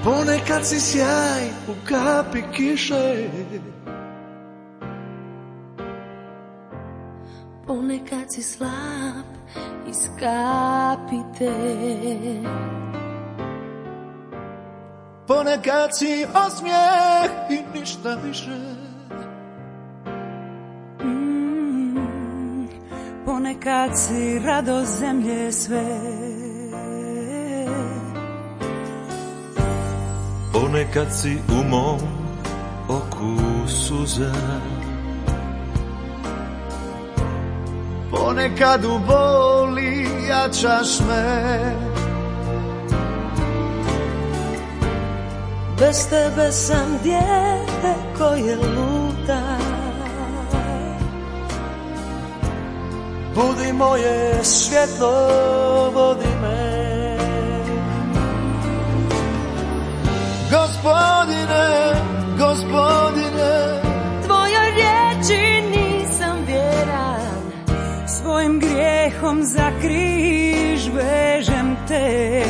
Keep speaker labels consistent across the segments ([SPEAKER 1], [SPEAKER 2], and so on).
[SPEAKER 1] Ponekad si sjaj u kapi kiše,
[SPEAKER 2] ponekad si slab iz kapite,
[SPEAKER 1] ponekad si osmijeh i ništa više.
[SPEAKER 3] Ponekad si radost zemlje sve,
[SPEAKER 1] ponekad si u mom oku suza, ponekad u boli jačaš me.
[SPEAKER 3] bez tebe sam dijete koje luta.
[SPEAKER 1] Budi moje svjetlo, vodi me. Gospodine, Gospodine,
[SPEAKER 3] Tvojoj riječi nisam vjeran, svojim grijehom za križ vežem te.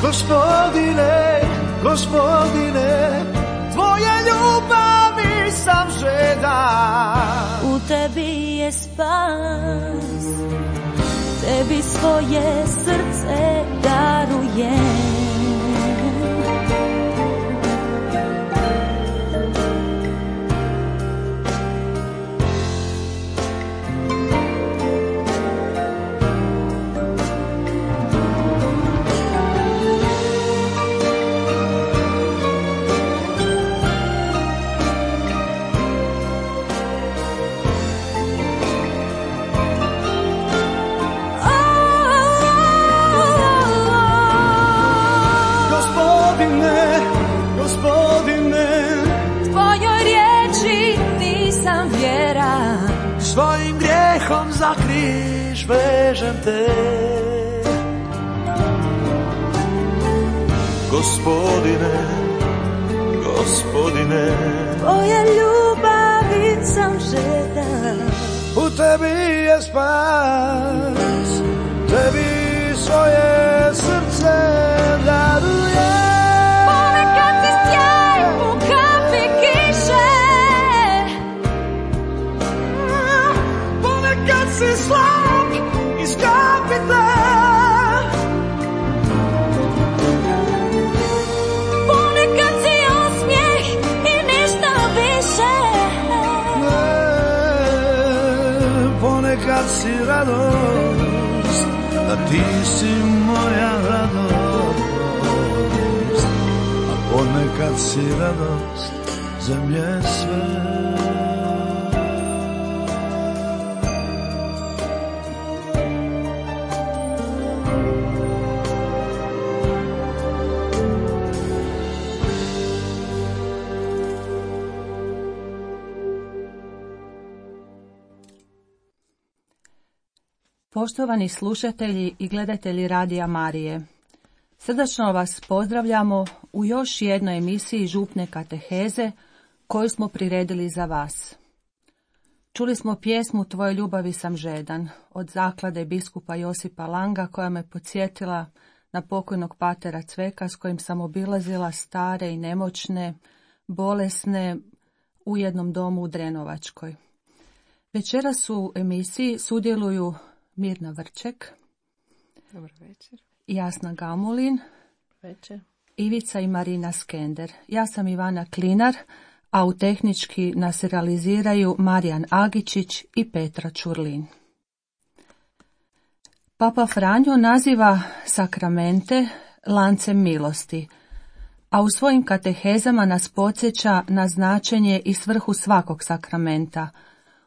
[SPEAKER 1] Gospodine, Gospodine, Tvoje ljubavi sam žedan.
[SPEAKER 2] u tebi je spas, tebi svoje srce darujem.
[SPEAKER 1] Svojim grijehom za križ vežem te. Gospodine, Gospodine,
[SPEAKER 3] Tvoje ljubavi sam žedan,
[SPEAKER 1] u tebi je spas, tebi svoje srce darujem.
[SPEAKER 2] Ponekad si sjaj u kapi kiše,
[SPEAKER 1] Ponekad si slab iz kapite,
[SPEAKER 2] ponekad si osmijeh i ništa više.
[SPEAKER 1] ponekad si radost, a ti si moja radost, a ponekad si radost zemlje sve.
[SPEAKER 4] Poštovani slušatelji i gledatelji Radija Marije, srdačno vas pozdravljamo u još jednoj emisiji župne kateheze koju smo priredili za vas. Čuli smo pjesmu Tvoje ljubavi sam žedan od zaklade biskupa Josipa Langa koja me podsjetila na pokojnog patera Cveka s kojim sam obilazila stare i nemoćne, bolesne u jednom domu u Drenovačkoj. Večeras u emisiji sudjeluju Mirna Vrček,
[SPEAKER 3] Dobar večer.
[SPEAKER 4] Jasna Gamulin,
[SPEAKER 3] Večer.
[SPEAKER 4] Ivica i Marina Skender. Ja sam Ivana Klinar, a u tehnički nas realiziraju Marijan Agičić i Petra Čurlin. Papa Franjo naziva sakramente lancem milosti, a u svojim katehezama nas podsjeća na značenje i svrhu svakog sakramenta,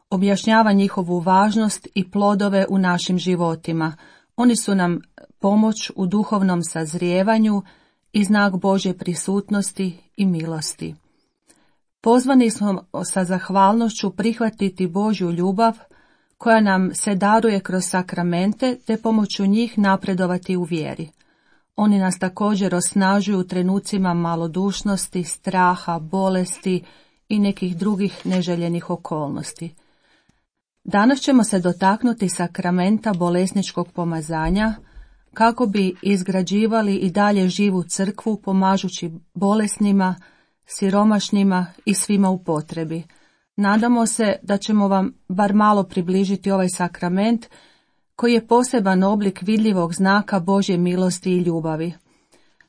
[SPEAKER 4] objašnjava njihovu važnost i plodove u našim životima. Oni su nam pomoć u duhovnom sazrijevanju i znak Božje prisutnosti i milosti. Pozvani smo sa zahvalnošću prihvatiti Božju ljubav koja nam se daruje kroz sakramente te pomoću njih napredovati u vjeri. Oni nas također osnažuju u trenucima malodušnosti, straha, bolesti i nekih drugih neželjenih okolnosti. Danas ćemo se dotaknuti sakramenta bolesničkog pomazanja, kako bi izgrađivali i dalje živu crkvu pomažući bolesnima, siromašnima i svima u potrebi. Nadamo se da ćemo vam bar malo približiti ovaj sakrament koji je poseban oblik vidljivog znaka Božje milosti i ljubavi.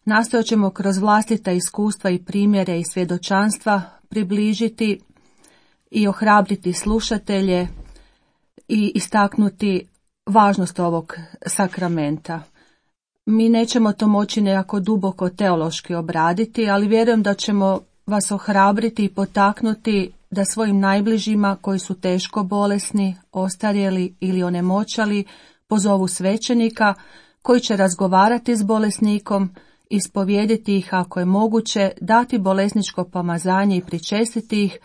[SPEAKER 4] Nastojat ćemo kroz vlastita iskustva i primjere i svjedočanstva približiti i ohrabriti slušatelje i istaknuti važnost ovog sakramenta. Mi nećemo to moći nekako duboko teološki obraditi, ali vjerujem da ćemo vas ohrabriti i potaknuti da svojim najbližima koji su teško bolesni, ostarjeli ili onemoćali pozovu svećenika koji će razgovarati s bolesnikom, ispovijediti ih ako je moguće, dati bolesničko pomazanje i pričestiti ih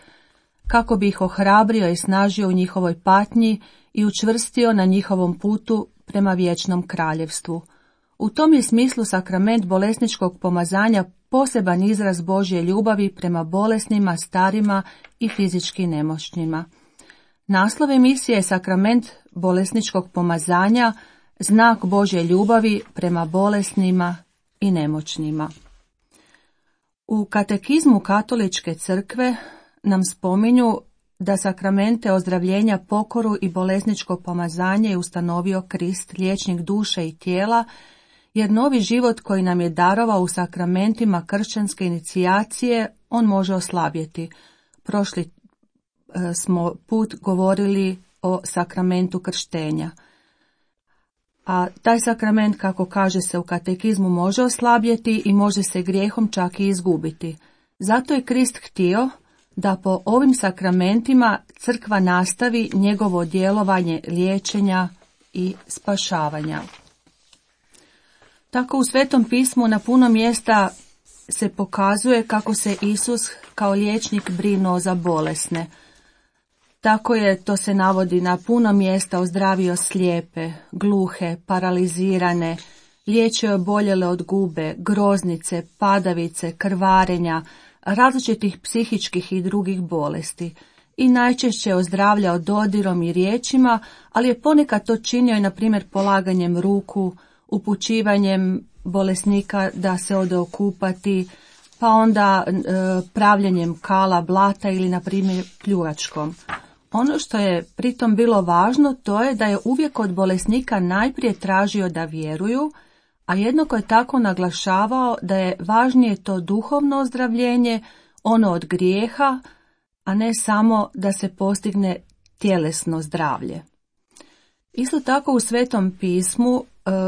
[SPEAKER 4] kako bi ih ohrabrio i snažio u njihovoj patnji i učvrstio na njihovom putu prema vječnom kraljevstvu. U tom je smislu sakrament bolesničkog pomazanja poseban izraz Božje ljubavi prema bolesnima, starima i fizički nemoćnima. Naslov emisije je sakrament bolesničkog pomazanja, znak Božje ljubavi prema bolesnima i nemoćnima. U katekizmu Katoličke crkve nam spominju da sakramente ozdravljenja, pokoru i bolesničko pomazanje je ustanovio Krist, liječnik duše i tijela, jer novi život koji nam je darovao u sakramentima kršćanske inicijacije, on može oslabjeti. Prošli smo put govorili o sakramentu krštenja. A taj sakrament, kako kaže se u katekizmu, može oslabjeti i može se grijehom čak i izgubiti. Zato je Krist htio da po ovim sakramentima crkva nastavi njegovo djelovanje liječenja i spašavanja. Tako u Svetom pismu na puno mjesta se pokazuje kako se Isus kao liječnik brinuo za bolesne. Tako je, to se navodi, na puno mjesta ozdravio slijepe, gluhe, paralizirane, liječio oboljele od gube, groznice, padavice, krvarenja, različitih psihičkih i drugih bolesti i najčešće ozdravljao dodirom i riječima, ali je ponekad to činio i na primjer polaganjem ruku, upućivanjem bolesnika da se ode okupati, pa onda pravljenjem kala, blata ili na primjer pljuvačkom. Ono što je pritom bilo važno, to je da je uvijek od bolesnika najprije tražio da vjeruju, a jednako je tako naglašavao da je važnije to duhovno ozdravljenje, ono od grijeha, a ne samo da se postigne tjelesno zdravlje. Isto tako u Svetom pismu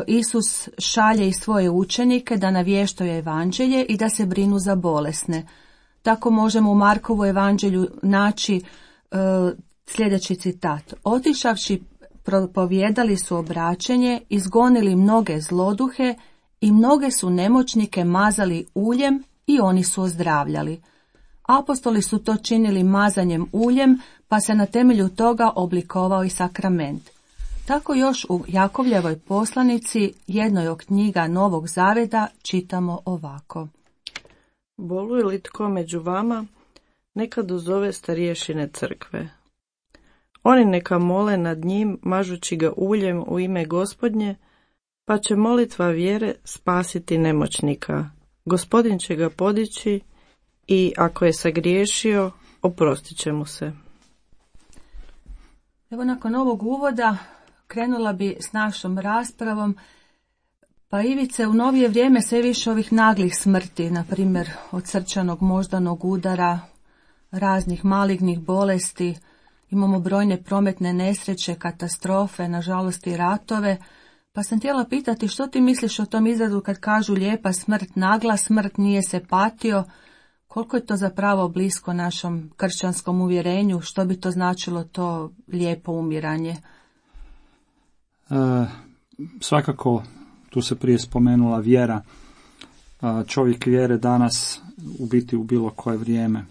[SPEAKER 4] Isus šalje i svoje učenike da navještaju evanđelje i da se brinu za bolesne. Tako možemo u Markovu evanđelju naći sljedeći citat. Otišavši propovijedali su obraćenje, izgonili mnoge zloduhe i mnoge su nemoćnike mazali uljem i oni su ozdravljali. Apostoli su to činili mazanjem uljem, pa se na temelju toga oblikovao i sakrament. Tako još u Jakovljevoj poslanici, jednoj od knjiga Novog zaveta, čitamo ovako.
[SPEAKER 3] Boluje li tko među vama, neka dozove starješine crkve. Oni neka mole nad njim, mažući ga uljem u ime Gospodnje, pa će molitva vjere spasiti nemoćnika. Gospodin će ga podići i ako je sagriješio, oprostit će mu se.
[SPEAKER 4] Evo, nakon ovog uvoda krenula bi s našom raspravom. Pa Ivice, u novije vrijeme sve više ovih naglih smrti, na primjer od srčanog moždanog udara, raznih malignih bolesti, imamo brojne prometne nesreće, katastrofe, nažalost i ratove, pa sam htjela pitati što ti misliš o tom izrazu kad kažu lijepa smrt, nagla smrt, nije se patio, koliko je to zapravo blisko našom kršćanskom uvjerenju, što bi to značilo to lijepo umiranje?
[SPEAKER 5] Svakako, tu se prije spomenula vjera. Čovjek vjere danas u biti u bilo koje vrijeme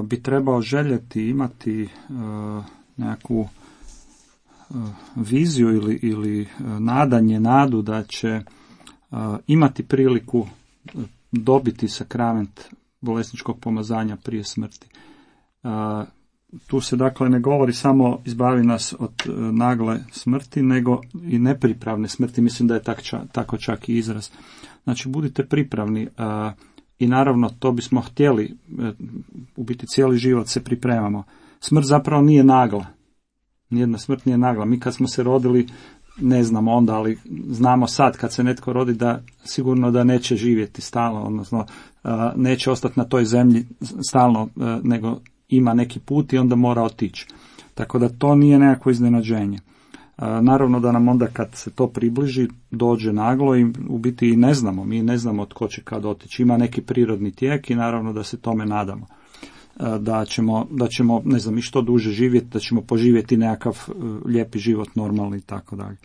[SPEAKER 5] bi trebao željeti imati nekakvu viziju ili nadu da će imati priliku dobiti sakrament bolesničkog pomazanja prije smrti. tu se dakle ne govori samo izbavi nas od nagle smrti, nego i nepripravne smrti, mislim da je tako čak i izraz. Znači, budite pripravni i naravno to bismo htjeli, u biti cijeli život se pripremamo. Smrt zapravo nije nagla. Nijedna smrt nije nagla. Mi kad smo se rodili, ne znamo onda, ali znamo sad kad se netko rodi da sigurno da neće živjeti stalno, odnosno neće ostati na toj zemlji stalno, nego ima neki put i onda mora otići. Tako da to nije nekakvo iznenađenje. Naravno da nam onda kad se to približi dođe naglo i u biti i ne znamo, mi ne znamo tko će kad otići. Ima neki prirodni tijek i naravno da se tome nadamo. Da ćemo ne znam i što duže živjeti, da ćemo poživjeti nekakav lijepi život normalni i tako dalje.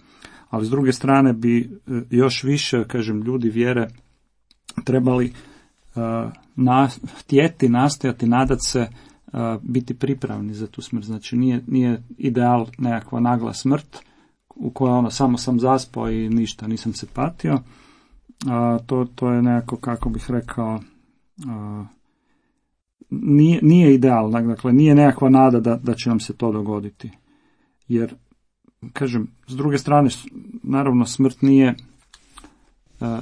[SPEAKER 5] Ali s druge strane bi još više, kažem, ljudi vjere trebali htjeti, nastojati, nadat se, biti pripravni za tu smrt. Znači nije ideal nekakva nagla smrt u kojoj samo sam zaspao i ništa, nisam se patio. To je nekako, kako bih rekao, nije ideal, dakle nije nekakva nada da će nam se to dogoditi. Jer, kažem, s druge strane, naravno smrt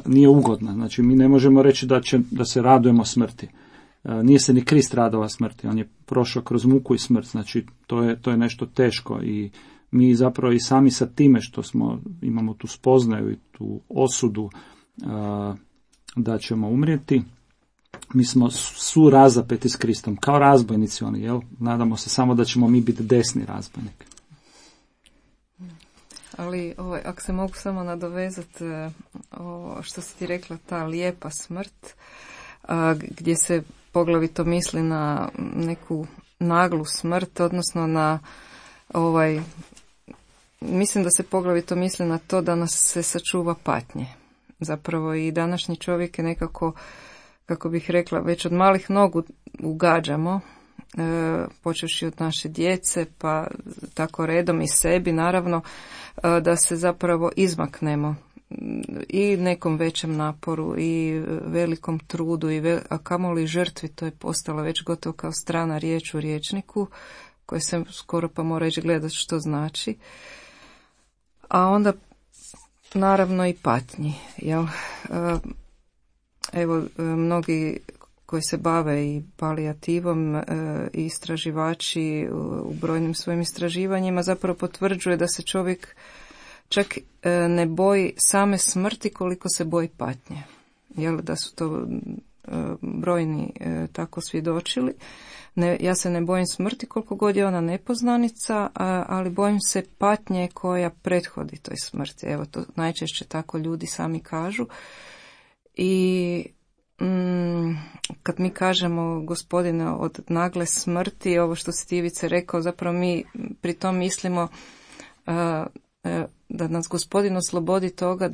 [SPEAKER 5] nije ugodna. Znači mi ne možemo reći da se radujemo smrti. Nije se ni Krist radovao smrti, on je prošao kroz muku i smrt, znači to je nešto teško i mi zapravo i sami sa time što imamo tu spoznaju i tu osudu da ćemo umrijeti, mi smo su razapeti s Kristom, kao razbojnici oni, jel? Nadamo se samo da ćemo mi biti desni razbojnik.
[SPEAKER 6] Ali ako se mogu samo nadovezati što si ti rekla, ta lijepa smrt, gdje se poglavito misli na neku naglu smrt, odnosno na mislim da se poglavito misli na to da nas se sačuva patnje. Zapravo i današnji čovjek je nekako, kako bih rekla, već od malih nogu ugađamo, počevši od naše djece, pa tako redom i sebi, naravno, da se zapravo izmaknemo i nekom većem naporu i velikom trudu, a kamoli žrtvi, to je postala već gotovo kao strana riječ u rječniku, koje se skoro pa mora ići gledati što znači. A onda naravno i patnji. Jel? Evo, mnogi koji se bave i palijativom i istraživači u brojnim svojim istraživanjima zapravo potvrđuje da se čovjek čak ne boji same smrti koliko se boji patnje. Jel, da su to brojni tako svjedočili. Ja se ne bojim smrti koliko god je ona nepoznanica, ali bojim se patnje koja prethodi toj smrti. Evo, to najčešće tako ljudi sami kažu. I kad mi kažemo, Gospodine, od nagle smrti, ovo što si ti, Ivice, rekao, zapravo mi pri tom mislimo da nas Gospodin oslobodi toga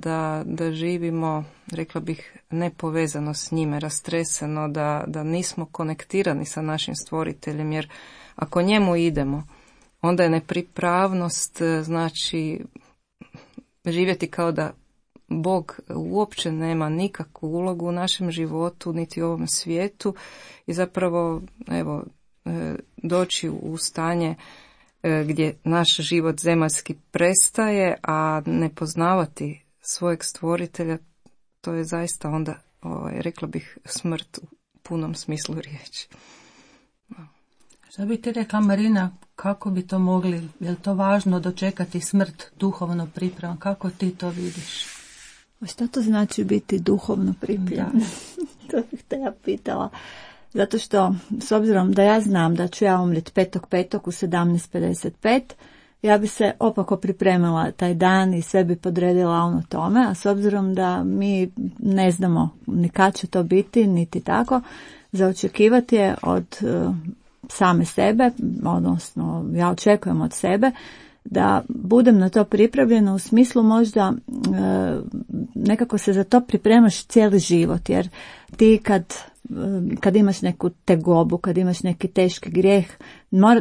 [SPEAKER 6] da živimo, rekla bih, nepovezano s njime, rastreseno, da nismo konektirani sa našim stvoriteljem, jer ako njemu idemo, onda je nepripravnost, znači živjeti kao da Bog uopće nema nikakvu ulogu u našem životu, niti u ovom svijetu, i zapravo, evo, doći u stanje gdje naš život zemaljski prestaje, a ne poznavati svojeg stvoritelja, to je zaista onda, rekla bih, smrt u punom smislu riječi.
[SPEAKER 4] Što bi ti rekla, Marina, kako bi to mogli, je li to važno dočekati smrt duhovno pripravan, kako ti to vidiš?
[SPEAKER 7] Što to znači biti duhovno pripremljen? To bih te ja pitala. Zato što, s obzirom da ja znam da ću ja umriti 5.5. u 17.55, ja bi se opako pripremila taj dan i sve bi podredila ono tome, a s obzirom da mi ne znamo ni kad će to biti, niti tako, za očekivati je od same sebe, odnosno ja očekujem od sebe, da budem na to pripravljena u smislu možda nekako se za to pripremaš cijeli život, jer ti kad imaš neku tegobu, kad imaš neki teški grijeh,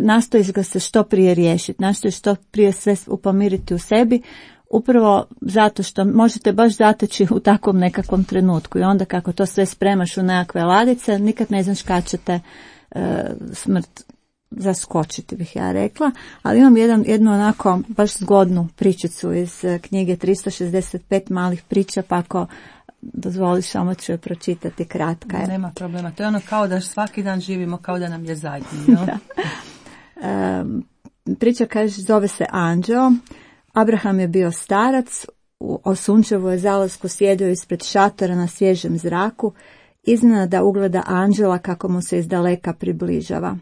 [SPEAKER 7] nastojiš ga se što prije riješiti, nastojiš što prije sve upomiriti u sebi, upravo zato što možete baš zateći u takvom nekakvom trenutku i onda kako to sve spremaš u nekakve ladice, nikad ne znaš kad će te smrt zaskočiti, bih ja rekla, ali imam jednu onako baš zgodnu pričicu iz knjige 365 malih priča, pa ako dozvoliš, samo ću je pročitati, kratka je.
[SPEAKER 4] Nema problema, to je ono kao da svaki dan živimo, kao da nam je zadnji. No?
[SPEAKER 7] Priča kaže, zove se Anđeo. Abraham je bio starac, o sunčevoj zalasku sjedio ispred šatora na svježem zraku, iznenada ugleda anđela kako mu se izdaleka približava.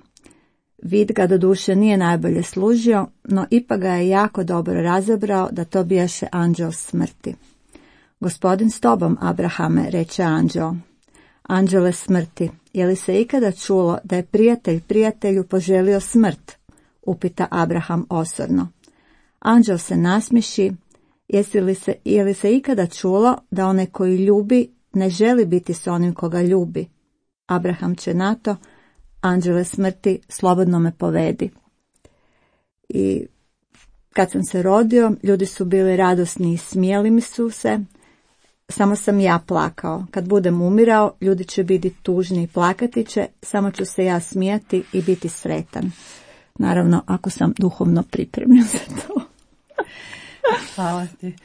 [SPEAKER 7] Vid ga doduše nije najbolje služio, no ipak ga je jako dobro razabrao da to bijaše anđeo smrti. Gospodin s tobom, Abrahame, reče anđeo. Anđele smrti, je li se ikada čulo da je prijatelj prijatelju poželio smrt? Upita Abraham osorno. Anđel se nasmiši, je li se ikada čulo da onaj koji ljubi ne želi biti s onim koga ljubi? Abraham će na to, anđele smrti, slobodno me povedi. I kad sam se rodio, ljudi su bili radosni i smijeli mi su se, samo sam ja plakao. Kad budem umirao, ljudi će biti tužni i plakati će, samo ću se ja smijati i biti sretan. Naravno, ako sam duhovno pripremljen za to.
[SPEAKER 4] Hvala ti.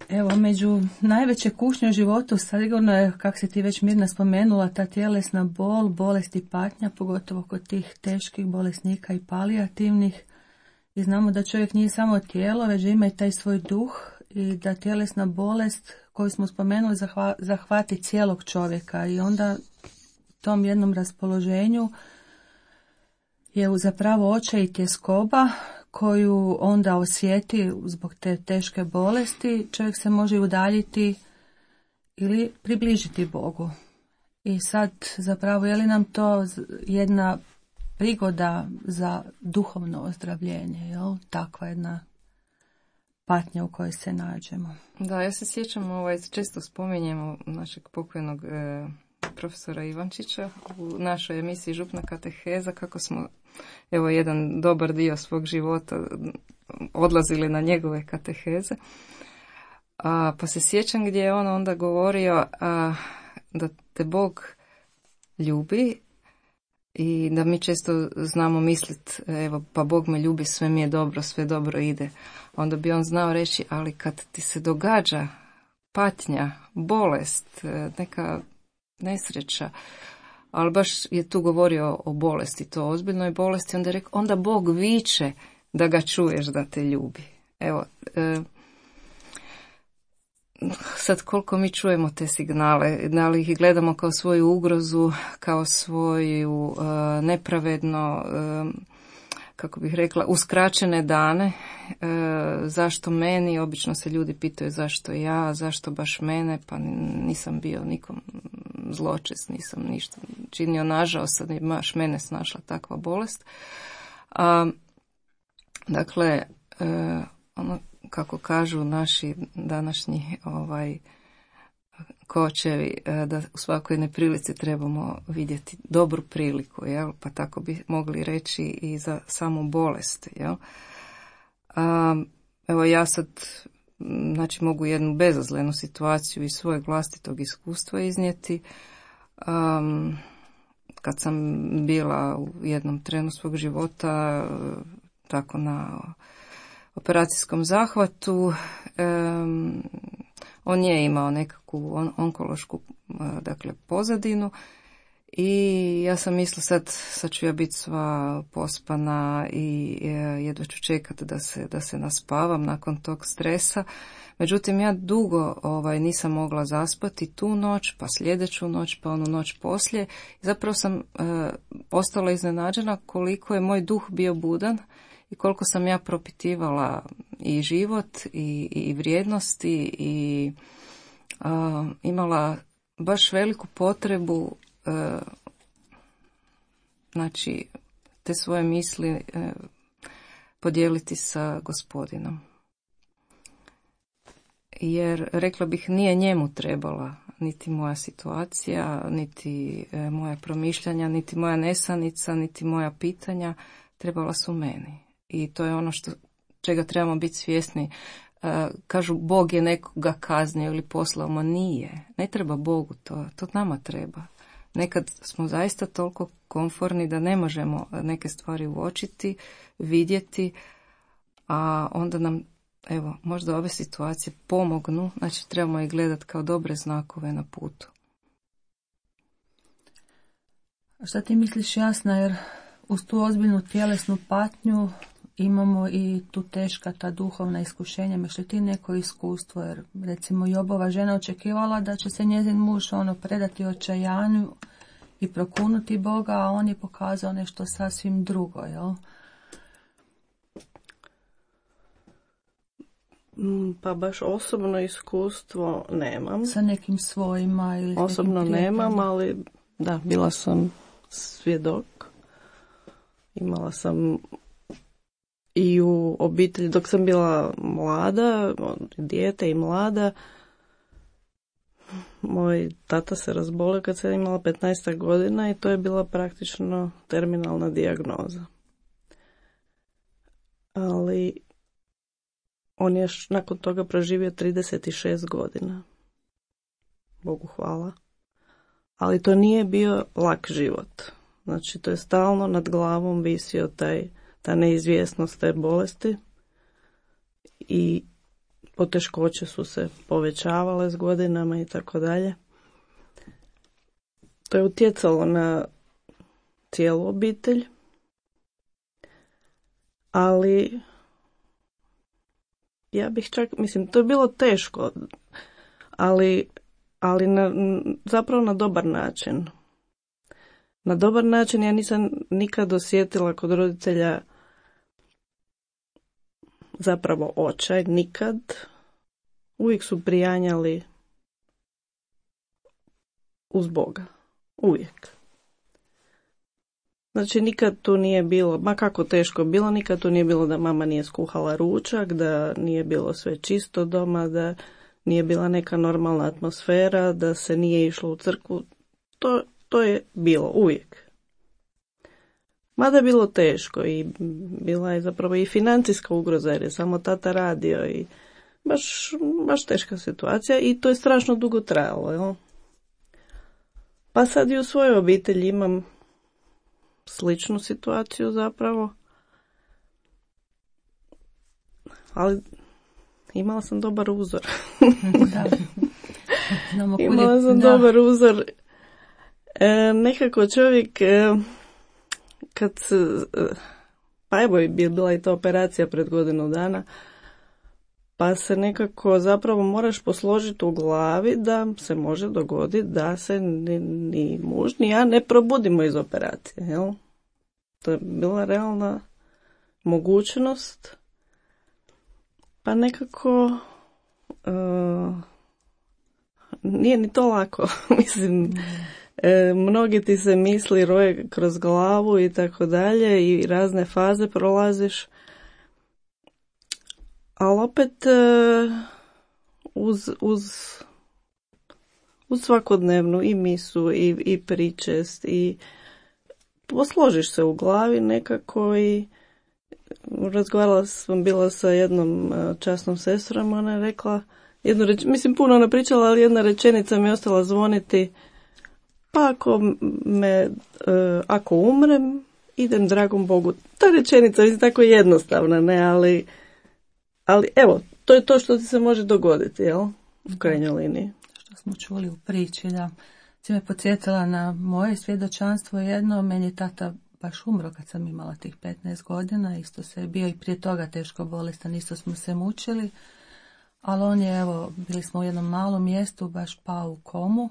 [SPEAKER 4] Evo, među najveće kušnje u životu sigurno je, kako si ti već Mirna spomenula, ta tjelesna bol, bolest i patnja, pogotovo kod tih teških bolesnika i palijativnih. I znamo da čovjek nije samo tijelo, već ima i taj svoj duh i da tjelesna bolest koju smo spomenuli zahvati cijelog čovjeka i onda tom jednom raspoloženju je zapravo očaj i tjeskoba koju onda osjeti zbog te teške bolesti, čovjek se može udaljiti ili približiti Bogu. I sad zapravo je li nam to jedna prigoda za duhovno ozdravljenje, jel? Takva jedna patnja u kojoj se nađemo.
[SPEAKER 6] Da, ja se sjećam, često spominjemo našeg pokojnog profesora Ivančića u našoj emisiji Župna kateheza, kako smo jedan dobar dio svog života odlazili na njegove kateheze. Pa se sjećam gdje je on onda govorio da te Bog ljubi i da mi često znamo misliti, pa Bog me ljubi, sve mi je dobro, sve dobro ide. Onda bi on znao reći, ali kad ti se događa patnja, bolest, neka nesreća, ali baš je tu govorio o bolesti, to ozbiljnoj bolesti, onda je rekao, onda Bog viče da ga čuješ da te ljubi. Evo, sad koliko mi čujemo te signale, da li ih gledamo kao svoju ugrozu, kao svoju nepravedno, kako bih rekla, uskraćene dane, zašto meni, obično se ljudi pitaju zašto ja, zašto baš mene, pa nisam bio nikom zločest, nisam ništa činio, nažao sad je baš mene snašla takva bolest. Dakle, ono kako kažu naši današnji kočevi, da u svakoj neprilici trebamo vidjeti dobru priliku, jel? Pa tako bi mogli reći i za samu bolest. Jel? Evo ja sad mogu jednu bezazlenu situaciju iz svojeg vlastitog iskustva iznijeti. Kad sam bila u jednom trenu svog života tako na operacijskom zahvatu, on je imao nekakvu onkološku pozadinu i ja sam mislila sad ću ja biti sva pospana i jedva ću čekati da se naspavam nakon tog stresa. Međutim, ja dugo nisam mogla zaspati tu noć, pa sljedeću noć, pa onu noć poslije. Zapravo sam ostala iznenađena koliko je moj duh bio budan i koliko sam ja propitivala i život i vrijednosti i imala baš veliku potrebu te svoje misli podijeliti sa Gospodinom. Jer, rekla bih, nije njemu trebala niti moja situacija, niti moja promišljanja, niti moja nesanica, niti moja pitanja, trebala su meni. I to je ono čega trebamo biti svjesni. Kažu, Bog je nekoga kaznio ili poslao, ma nije. Ne treba Bogu to nama treba. nekad smo zaista toliko komforni da ne možemo neke stvari uočiti, vidjeti, a onda nam, evo, možda ove situacije pomognu, znači trebamo ih gledati kao dobre znakove na putu.
[SPEAKER 4] A šta ti misliš, Jasna, jer uz tu ozbiljnu tjelesnu patnju imamo i tu teška ta duhovna iskušenja. Imaš li ti neko iskustvo? Jer recimo Jobova žena očekivala da će se njezin muž predati očajanju i prokunuti Boga, a on je pokazao nešto sasvim drugo, jel?
[SPEAKER 3] Pa baš osobno iskustvo nemam.
[SPEAKER 4] Sa nekim svojima ili
[SPEAKER 3] osobno nemam, ali da, bila sam svjedok. Imala sam i u obitelji, dok sam bila mlada, dijete i mlada, moj tata se razbolio kad sam imala 15 godina i to je bila praktično terminalna dijagnoza. Ali on je nakon toga proživio 36 godina. Bogu hvala. Ali to nije bio lak život. Znači, to je stalno nad glavom visio ta neizvjesnost te bolesti i poteškoće su se povećavale s godinama i tako dalje. To je utjecalo na cijelu obitelj, ali ja bih čak, to je bilo teško, ali zapravo na dobar način. Na dobar način ja nisam nikad osjetila kod roditelja zapravo očaj, nikad. Uvijek su prijanjali uz Boga. Uvijek. Znači nikad tu nije bilo, ma kako teško bilo, nikad tu nije bilo da mama nije skuhala ručak, da nije bilo sve čisto doma, da nije bila neka normalna atmosfera, da se nije išlo u crkvu. To je bilo uvijek. Mada je bilo teško i bila je zapravo i financijska ugroza jer je samo tata radio i baš teška situacija i to je strašno dugo trajalo. Jel? Pa sad i u svojoj obitelji imam sličnu situaciju zapravo. Ali imala sam dobar uzor.
[SPEAKER 4] Da.
[SPEAKER 3] Imala sam dobar uzor. Nekako čovjek kad pa evo je bila i ta operacija pred godinu dana, pa se nekako zapravo moraš posložiti u glavi da se može dogoditi da se ni muž ni ja ne probudimo iz operacije. Jel? To je bila realna mogućnost, pa nekako nije ni to lako. Mnogi ti se misli roje kroz glavu i tako dalje i razne faze prolaziš, ali opet uz svakodnevnu i misu i pričest i posložiš se u glavi nekako i razgovarala sam bila sa jednom časnom sestrom, ona je rekla puno ona pričala, ali jedna rečenica mi je ostala zvoniti. Pa ako umrem, idem dragom Bogu. Ta rečenica je tako jednostavna, ne, ali evo, to je to što ti se može dogoditi, jel? U krajnjoj liniji.
[SPEAKER 4] Što smo čuli u priči, da. Si me podsjetila na moje svjedočanstvo jedno, meni je tata baš umro kad sam imala tih 15 godina, isto se je bio i prije toga teško bolestan, isto smo se mučili, ali on je, evo, bili smo u jednom malom mjestu, baš pao u komu.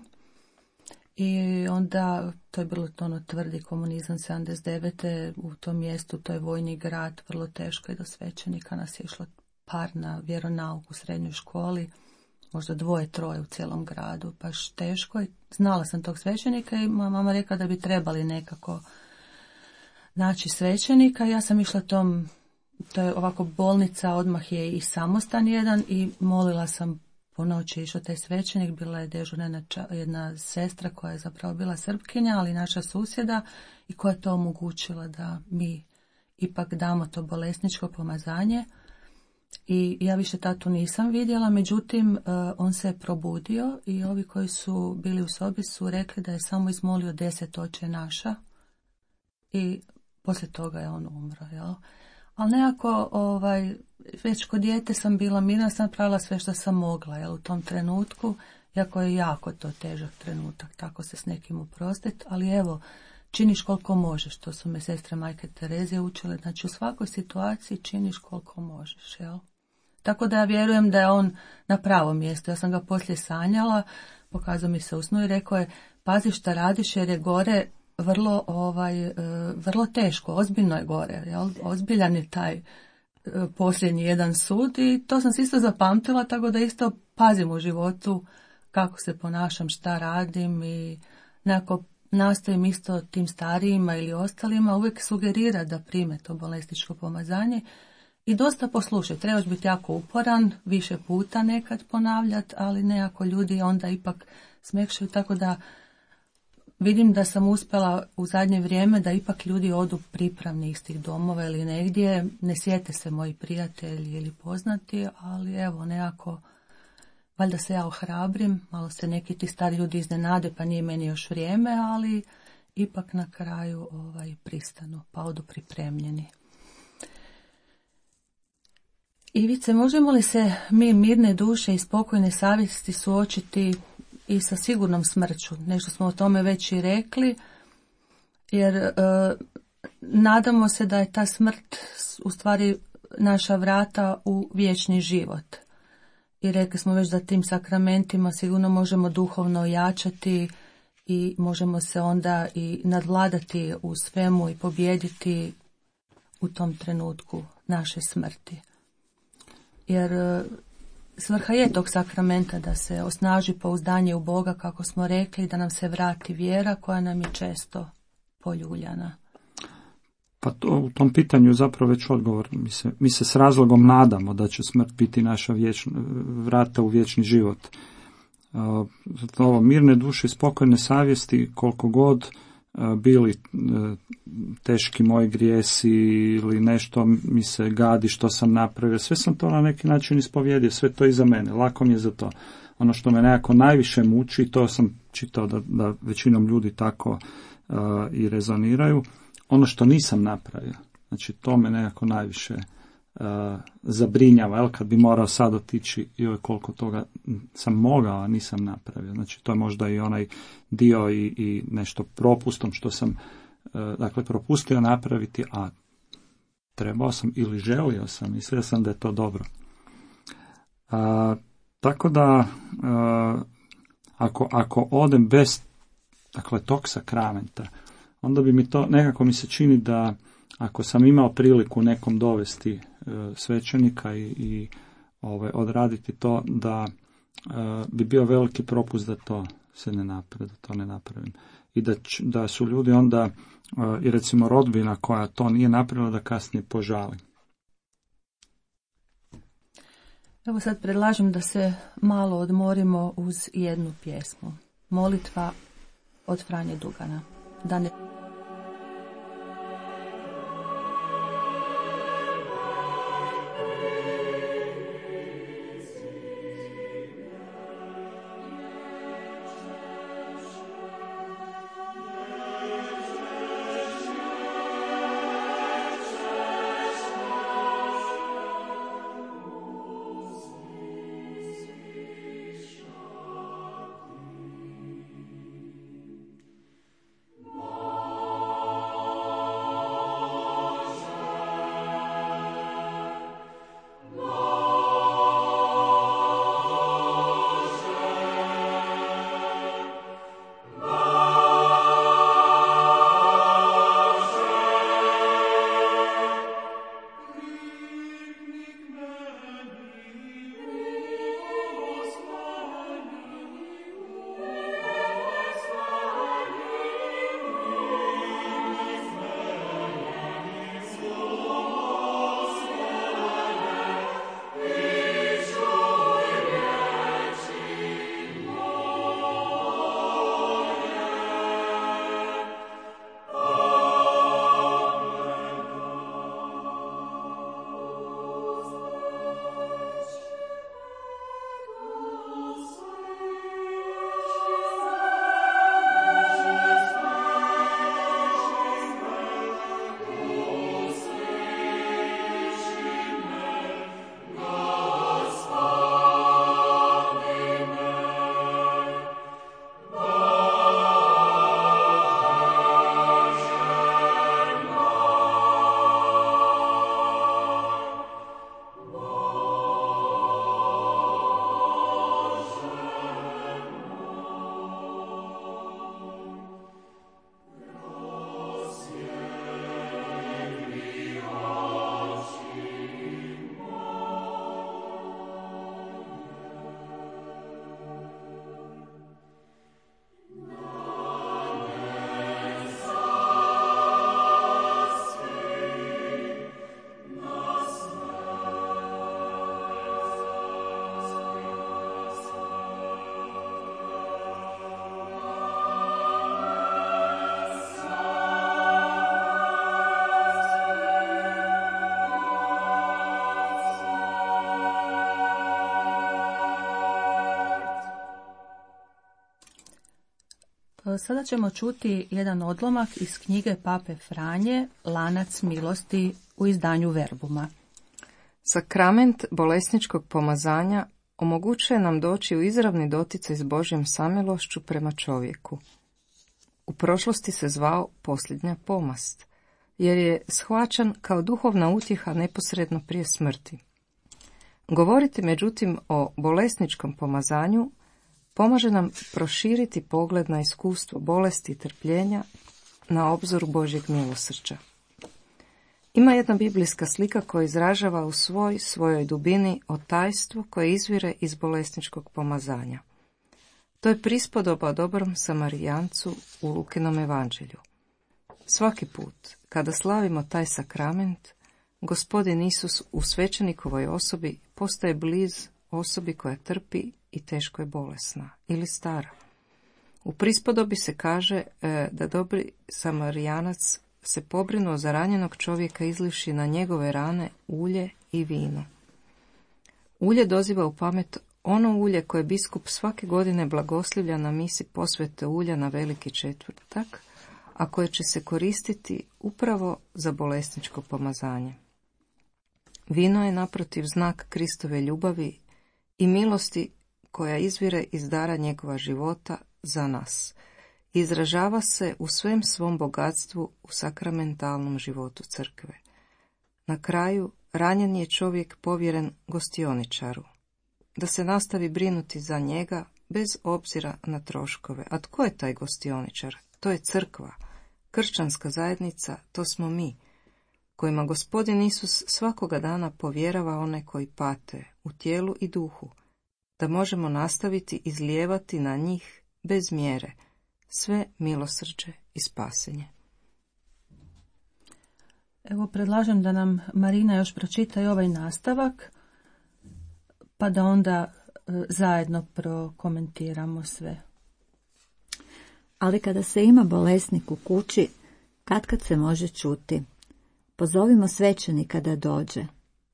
[SPEAKER 4] I onda, to je bilo tvrdi komunizam 79. u tom mjestu, to je vojni grad, vrlo teško i do svećenika nas je išlo par na vjeronauk u srednjoj školi, možda 2-3 u cijelom gradu, baš teško. I znala sam tog svećenika i mama rekla da bi trebali nekako naći svećenika. Ja sam išla to je ovako bolnica, odmah je i samostan jedan i molila sam. Po noći išao taj svećenik, bila je dežurna jedna sestra koja je zapravo bila Srpkinja, ali naša susjeda i koja je to omogućila da mi ipak damo to bolesničko pomazanje. I ja više tatu nisam vidjela, međutim on se je probudio i ovi koji su bili u sobi su rekli da je samo izmolio 10 Oče naša i poslije toga je on umro, jel? Ali nekako, već kod dijete sam bila mirna, sam napravila sve što sam mogla, jel, u tom trenutku, iako je jako to težak trenutak, tako se s nekim oprostiti, ali evo, činiš koliko možeš, to su me sestre Majke Terezije učile, znači u svakoj situaciji činiš koliko možeš, jel? Tako da ja vjerujem da je on na pravom mjestu. Ja sam ga poslije sanjala, pokazao mi se u snu i rekao je, pazi šta radiš jer je gore vrlo teško, ozbiljno je gore, jel? Ozbiljan je taj posljednji jedan sud i to sam se isto zapamtila, tako da isto pazim u životu kako se ponašam, šta radim i nekako nastojim isto tim starijima ili ostalima uvijek sugerira da prime to bolesničko pomazanje i dosta poslušaj. Trebaš biti jako uporan, više puta nekad ponavljati, ali nekako ljudi onda ipak smekšaju, tako da vidim da sam uspjela u zadnje vrijeme da ipak ljudi odu pripravni iz tih domova ili negdje, ne sjete se moji prijatelji ili poznati, ali evo nekako, valjda se ja ohrabrim, malo se neki ti stari ljudi iznenade pa nije meni još vrijeme, ali ipak na kraju pristanu pa odu pripremljeni. Ivice, možemo li se mi mirne duše i spokojne savjesti suočiti i sa sigurnom smrću? Nešto smo o tome već i rekli, jer nadamo se da je ta smrt u stvari naša vrata u vječni život. I rekli smo već da tim sakramentima sigurno možemo duhovno ojačati i možemo se onda i nadvladati u svemu i pobijediti u tom trenutku naše smrti. Jer svrha je tog sakramenta da se osnaži pouzdanje u Boga, kako smo rekli, da nam se vrati vjera koja nam je često poljuljana.
[SPEAKER 5] Pa u tom pitanju zapravo već odgovor. Mi se s razlogom nadamo da će smrt biti naša vrata u vječni život. Ovo mirne duše i spokojne savjesti, koliko god bili teški moji grijesi ili nešto mi se gadi što sam napravio, sve sam to na neki način ispovjedio, sve to iza mene, lako mi je za to. Ono što me nekako najviše muči, to sam čitao da većinom ljudi tako i rezoniraju, ono što nisam napravio. Znači to me nekako najviše zabrinjava, kad bi morao sad otići joj koliko toga sam mogao, a nisam napravio. Znači to je možda i onaj dio i nešto propustom što sam propustio napraviti, a trebao sam ili želio sam, mislio sam da je to dobro. Tako da ako odem bez tog sakramenta, onda bi mi to, nekako mi se čini da ako sam imao priliku nekom dovesti svećenika i odraditi to, da bi bio veliki propust da to se ne napravi, da to ne napravim. I da su ljudi onda, i recimo rodbina koja to nije napravila, da kasnije požali.
[SPEAKER 4] Evo sad predlažem da se malo odmorimo uz jednu pjesmu. Molitva od Franje Dugana. Da ne...
[SPEAKER 2] Oh
[SPEAKER 4] Sada ćemo čuti jedan odlomak iz knjige Pape Franje, Lanac milosti u izdanju Verbuma.
[SPEAKER 6] Sakrament bolesničkog pomazanja omogućuje nam doći u izravni doticaj s Božjom samilošću prema čovjeku. U prošlosti se zvao posljednja pomast, jer je shvaćan kao duhovna utjeha neposredno prije smrti. Govoriti međutim o bolesničkom pomazanju pomaže nam proširiti pogled na iskustvo bolesti i trpljenja na obzoru Božjeg milosrđa. Ima jedna biblijska slika koja izražava u svojoj dubini o tajstvu koje izvire iz bolesničkog pomazanja. To je prispodoba o dobrom Samarijancu u Lukinom evanđelju. Svaki put, kada slavimo taj sakrament, Gospodin Isus u svećenikovoj osobi postaje bliz osobi koja trpi i teško je bolesna ili stara. U prispodobi se kaže da dobri Samarijanac se pobrinuo za ranjenog čovjeka izlivši na njegove rane ulje i vino. Ulje doziva u pamet ono ulje koje biskup svake godine blagoslivlja na misi posvete ulja na Veliki četvrtak, a koje će se koristiti upravo za bolesničko pomazanje. Vino je naprotiv znak Kristove ljubavi i milosti koja izvire iz dara njegova života za nas. Izražava se u svem svom bogatstvu u sakramentalnom životu crkve. Na kraju, ranjen je čovjek povjeren gostioničaru, da se nastavi brinuti za njega bez obzira na troškove. A tko je taj gostioničar? To je crkva, kršćanska zajednica, to smo mi, kojima Gospodin Isus svakoga dana povjerava one koji pate u tijelu i duhu, da možemo nastaviti izlijevati na njih bez mjere sve milosrđe i spasenje.
[SPEAKER 4] Evo, predlažem da nam Marina još pročita i ovaj nastavak, pa da onda zajedno prokomentiramo sve.
[SPEAKER 7] Ali kada se ima bolesnik u kući, katkad se može čuti: pozovimo svećenika da dođe.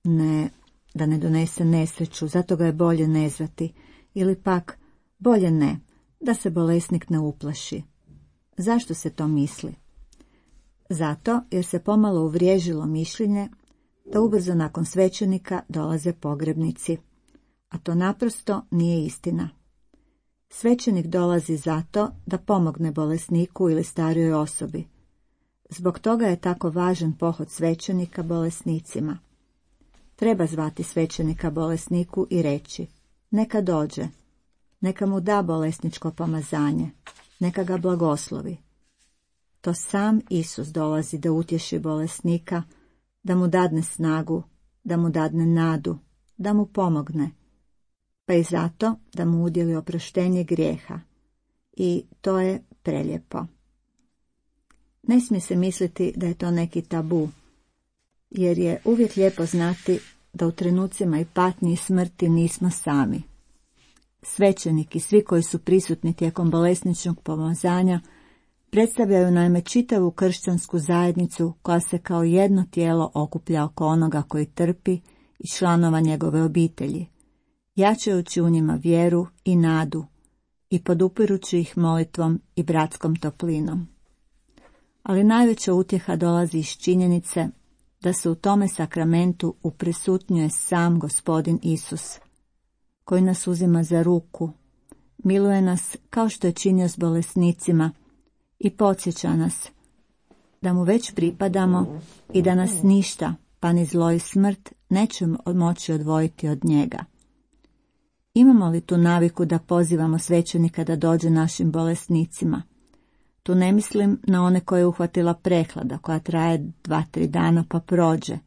[SPEAKER 7] Ne, da ne donese nesreću, zato ga je bolje ne zvati. Ili pak, bolje ne, da se bolesnik ne uplaši. Zašto se to misli? Zato jer se pomalo uvriježilo mišljenje da ubrzo nakon svećenika dolaze pogrebnici. A to naprosto nije istina. Svećenik dolazi zato da pomogne bolesniku ili starijoj osobi. Zbog toga je tako važan pohod svećenika bolesnicima. Treba zvati svećenika bolesniku i reći: neka dođe, neka mu da bolesničko pomazanje, neka ga blagoslovi. To sam Isus dolazi da utješi bolesnika, da mu dadne snagu, da mu dadne nadu, da mu pomogne, pa i zato da mu udjeli oproštenje grijeha. I to je prelijepo. Ne smije se misliti da je to neki tabu, jer je uvijek lijepo znati da u trenucima i patnji i smrti nismo sami. Svećenik i svi koji su prisutni tijekom bolesničkog pomazanja predstavljaju naime čitavu kršćansku zajednicu koja se kao jedno tijelo okuplja oko onoga koji trpi i članova njegove obitelji, jačajući u njima vjeru i nadu i podupirući ih molitvom i bratskom toplinom. Ali najveća utjeha dolazi iz činjenice da se u tome sakramentu uprisutnjuje sam Gospodin Isus, koji nas uzima za ruku, miluje nas kao što je činio s bolesnicima i podsjeća nas da mu već pripadamo i da nas ništa, pa ni zlo i smrt, neće moći odvojiti od njega. Imamo li tu naviku da pozivamo svećenika da dođe našim bolesnicima? Tu ne mislim na one koje je uhvatila prehlada, koja traje 2-3 dana pa prođe,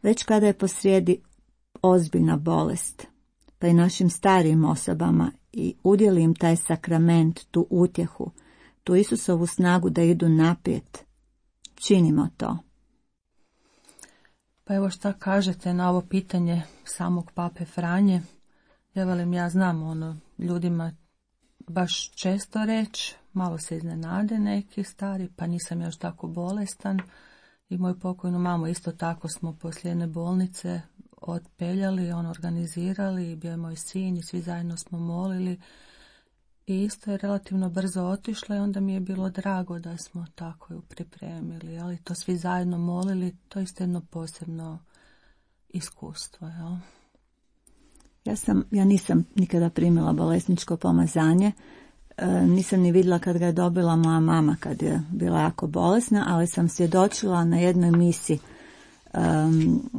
[SPEAKER 7] već kada je posrijedi ozbiljna bolest, pa i našim starijim osobama, i udjeli im taj sakrament, tu utjehu, tu Isusovu snagu da idu naprijed. Činimo to.
[SPEAKER 4] Pa evo šta kažete na ovo pitanje samog Pape Franje? Ja znam ljudima baš često reći, malo se iznenade neki stari, pa nisam još tako bolestan. I moju pokojnu mamu isto tako smo poslije jedne bolnice otpeljali, organizirali, bio je moj sin i svi zajedno smo molili. I isto je relativno brzo otišla i onda mi je bilo drago da smo tako ju pripremili, ali to svi zajedno molili, to je isto jedno posebno iskustvo. Jel?
[SPEAKER 7] Ja nisam nikada primila bolesničko pomazanje, nisam ni vidjela kad ga je dobila moja mama kad je bila jako bolesna, ali sam svjedočila na jednoj misi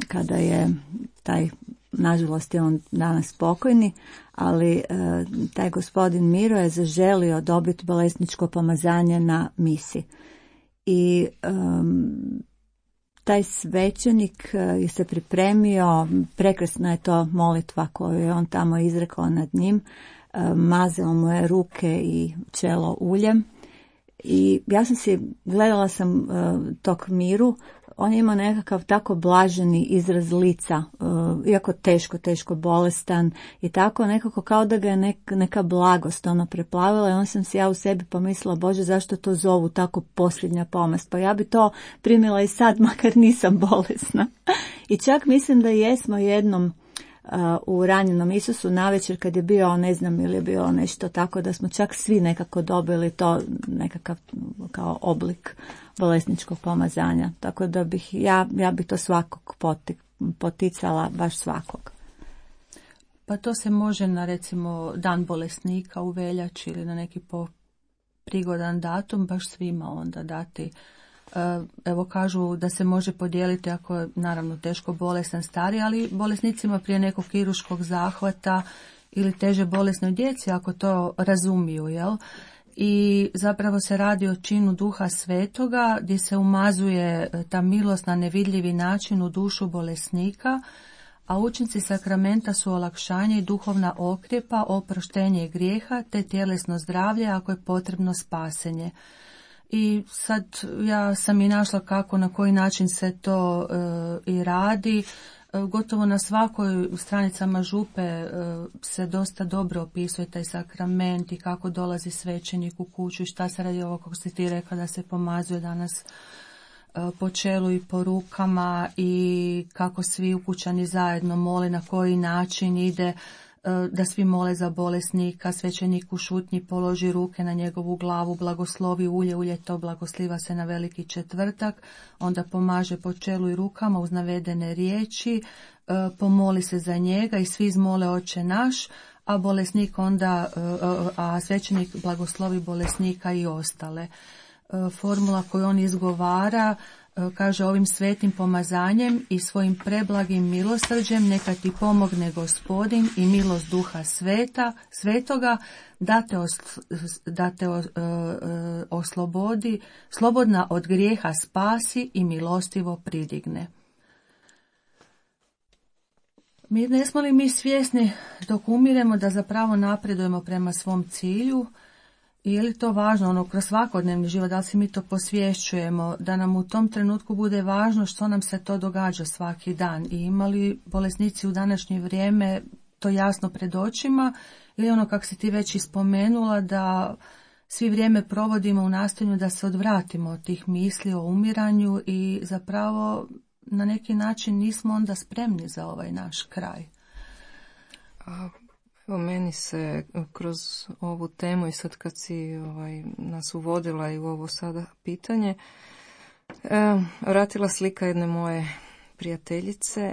[SPEAKER 7] kada je taj, nažalost je on danas pokojni, ali taj gospodin Miro je zaželio dobiti bolesničko pomazanje na misi. I taj svećenik je se pripremio, prekrasna je to molitva koju je on tamo izrekao nad njim, mazao mu je ruke i čelo uljem. I ja gledala sam tog Miru, on je imao nekakav tako blaženi izraz lica, iako teško bolestan i tako nekako kao da ga je neka blagost preplavila i on sam si ja u sebi pomislila, Bože, zašto to zovu tako posljednja pomast, pa ja bi to primila i sad, makar nisam bolesna. I čak mislim da jesmo jednom u ranjenom Isusu navečer kad je bio, ne znam ili je bilo nešto tako da smo čak svi nekako dobili to nekakav kao oblik bolesničkog pomazanja. Tako da bih ja bi to svakog poticala, baš svakog.
[SPEAKER 4] Pa to se može na recimo dan bolesnika u veljači ili na neki prigodan datum baš svima onda dati. Evo kažu da se može podijeliti ako je naravno teško bolestan stari, ali bolesnicima prije nekog kirurškog zahvata ili teže bolesnoj djeci ako to razumiju, jel? I zapravo se radi o činu Duha Svetoga gdje se umazuje ta milost na nevidljivi način u dušu bolesnika, a učinci sakramenta su olakšanje i duhovna okrjepa, oproštenje grijeha te tjelesno zdravlje ako je potrebno spasenje. I sad ja sam i našla kako, na koji način se to i radi. Gotovo na svakoj stranicama župe se dosta dobro opisuje taj sakrament i kako dolazi svećenik u kuću i šta se radi ovo kako si ti rekla da se pomazuje danas po čelu i po rukama i kako svi ukućani zajedno mole, na koji način ide, da svi mole za bolesnika, svećenik u šutnji položi ruke na njegovu glavu, blagoslovi ulje to blagosliva se na Veliki četvrtak, onda pomaže po čelu i rukama uz navedene riječi, pomoli se za njega i svi izmole Oče naš, a bolesnik onda, a svećenik blagoslovi bolesnika i ostale. Formula koju on izgovara kaže: ovim svetim pomazanjem i svojim preblagim milosrđem neka ti pomogne Gospodin i milost Duha Svetoga da te oslobodi, slobodna od grijeha spasi i milostivo pridigne. Ne smo li mi svjesni dok umiremo da zapravo napredujemo prema svom cilju? I je li to važno, kroz svakodnevni život, da li si mi to posvješćujemo, da nam u tom trenutku bude važno što nam se to događa svaki dan? I imali bolesnici u današnje vrijeme to jasno pred očima, ili kako si ti već ispomenula, da svi vrijeme provodimo u nastojanju da se odvratimo od tih misli o umiranju i zapravo na neki način nismo onda spremni za ovaj naš kraj?
[SPEAKER 6] Evo, meni se kroz ovu temu i sad kad si nas uvodila i u ovo sada pitanje, vratila slika jedne moje prijateljice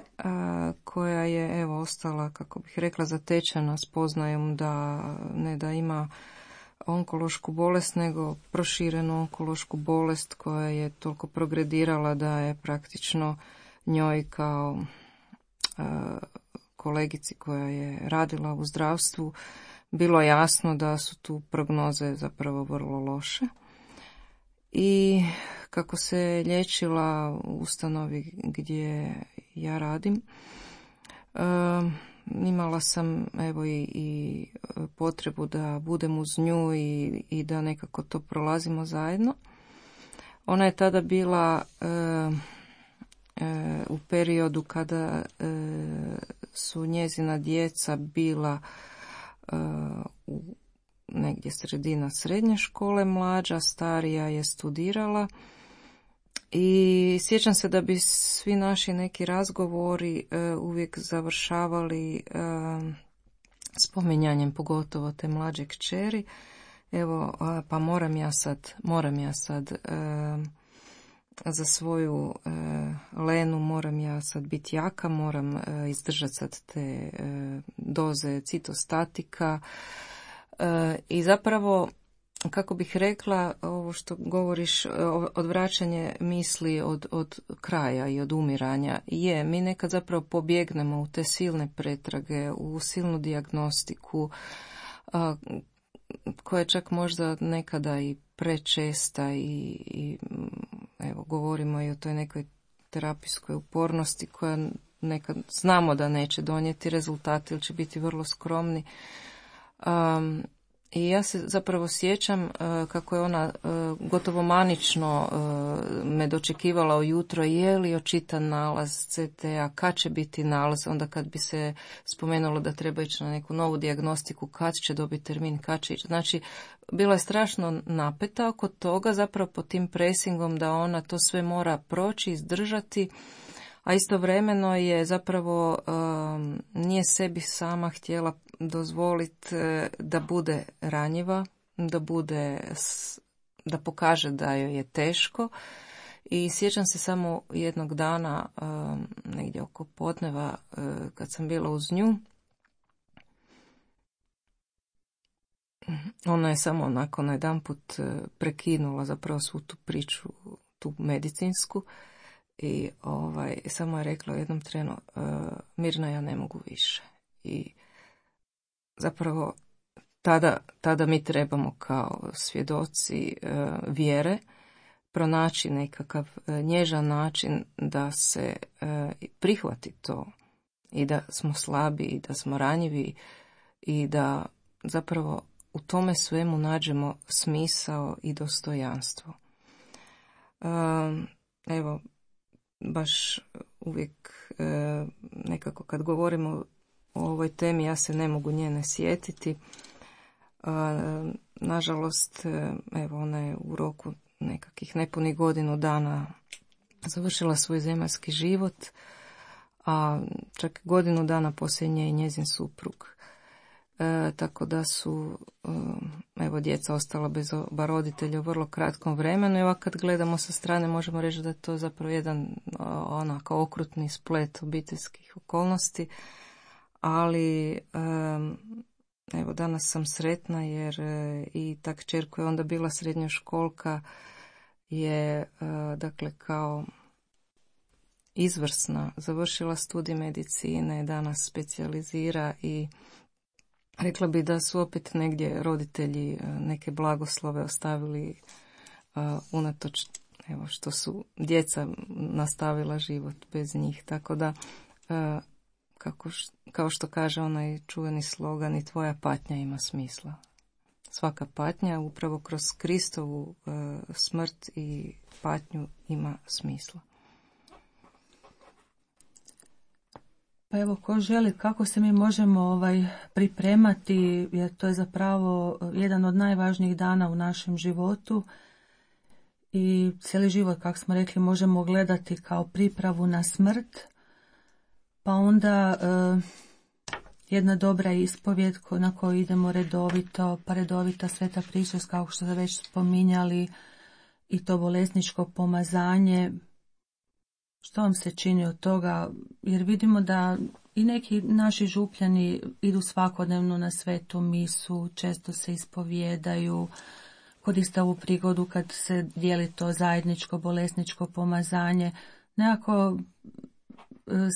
[SPEAKER 6] koja je ostala, kako bih rekla, zatečena spoznajom da ne da ima onkološku bolest, nego proširenu onkološku bolest koja je toliko progredirala da je praktično njoj kao kolegici koja je radila u zdravstvu bilo jasno da su tu prognoze zapravo vrlo loše. I kako se liječila u ustanovi gdje ja radim, imala sam i potrebu da budem uz nju i da nekako to prolazimo zajedno. Ona je tada bila u periodu kada su njezina djeca bila u negdje sredina srednje škole, mlađa, starija je studirala i sjećam se da bi svi naši neki razgovori uvijek završavali spominjanjem pogotovo te mlađe kćeri. Evo, pa moram ja sad za svoju Lenu moram ja sad biti jaka, moram izdržati sad te doze citostatika i zapravo, kako bih rekla, ovo što govoriš, odvraćanje misli od kraja i od umiranja, mi nekad zapravo pobjegnemo u te silne pretrage, u silnu dijagnostiku, koja je čak možda nekada i prečesta i evo, govorimo i o toj nekoj terapijskoj upornosti koja nekad znamo da neće donijeti rezultate ili će biti vrlo skromni. I ja se zapravo sjećam kako je ona gotovo manično me dočekivala ujutro, je li očitan nalaz CT-a, kad će biti nalaz, onda kad bi se spomenulo da treba ići na neku novu dijagnostiku, kad će dobiti termin, kad će ići. Znači, bila je strašno napeta oko toga, zapravo pod tim presingom da ona to sve mora proći, izdržati, a istovremeno je zapravo nije sebi sama htjela dozvoliti da bude ranjiva, da pokaže da joj je teško. I sjećam se samo jednog dana, negdje oko podneva, kad sam bila uz nju, ona je samo nakon jedanput prekinula zapravo svu tu priču, tu medicinsku, i samo je rekla u jednom trenu, Mirna, ja ne mogu više. I zapravo tada mi trebamo kao svjedoci vjere pronaći nekakav nježan način da se prihvati to i da smo slabi i da smo ranjivi i da zapravo u tome svemu nađemo smisao i dostojanstvo. Evo, baš uvijek nekako kad govorimo o ovoj temi ja se ne mogu nje ne sjetiti. Nažalost, evo, ona je u roku nekakvih nepunih godinu dana završila svoj zemaljski život, a čak godinu dana poslije nje i njezin suprug. Tako da su evo, djeca ostala bez oba roditelja u vrlo kratkom vremenu i ovako kad gledamo sa strane možemo reći da je to zapravo jedan onako okrutni splet obiteljskih okolnosti, ali evo, danas sam sretna jer i ta kćer koja je onda bila srednjoškolka je dakle kao izvrsna, završila studij medicine, danas specijalizira i rekla bi da su opet negdje roditelji neke blagoslove ostavili unatoč, evo, što su djeca nastavila život bez njih. Tako da, kao što kaže onaj čuveni slogan, i tvoja patnja ima smisla. Svaka patnja upravo kroz Kristovu smrt i patnju ima smisla.
[SPEAKER 4] Pa evo, ko želi, kako se mi možemo pripremati, jer to je zapravo jedan od najvažnijih dana u našem životu i cijeli život, kako smo rekli, možemo gledati kao pripravu na smrt, pa onda jedna dobra ispovjed na koju idemo redovito, pa redovita sveta pričest, kao što ste već spominjali, i to bolesničko pomazanje. Što vam se čini od toga? Jer vidimo da i neki naši župljani idu svakodnevno na svetu misu, često se ispovijedaju, koriste ovu prigodu kad se dijeli to zajedničko bolesničko pomazanje. Nekako